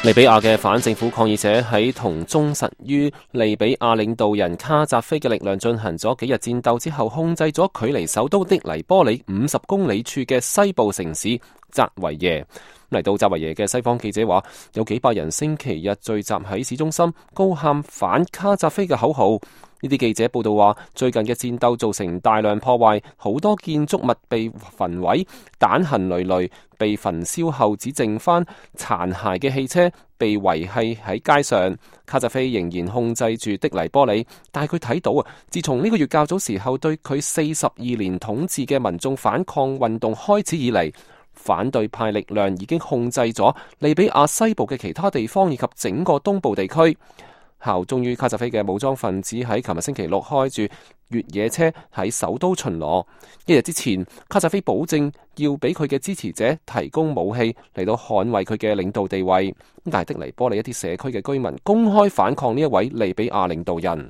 利比亞嘅反政府抗議者喺同忠實於利比亞領導人卡扎菲嘅力量進行咗幾日戰鬥之後，控制咗距離首都的黎波里50公里處嘅西部城市扎維耶。嚟到扎維耶嘅西方記者話，有幾百人星期日聚集喺市中心，高喊反卡扎菲嘅口號。呢啲記者報道話，最近嘅戰鬥造成大量破壞，好多建築物被焚毀，彈痕累累，被焚燒後只剩翻殘骸嘅汽車被遺棄喺街上。卡扎菲仍然控制住的黎波里，但係佢睇到啊，自從呢個月較早時候對佢42年統治嘅民眾反抗運動開始以嚟，反對派力量已經控制咗利比亞西部嘅其他地方以及整個東部地區。效忠於卡扎菲嘅武裝分子喺琴日星期六開住越野車喺首都巡邏。一日之前，卡扎菲保證要俾佢嘅支持者提供武器嚟到捍衛佢嘅領導地位。但係的黎波里一啲社區嘅居民公開反抗呢一位利比亞領導人。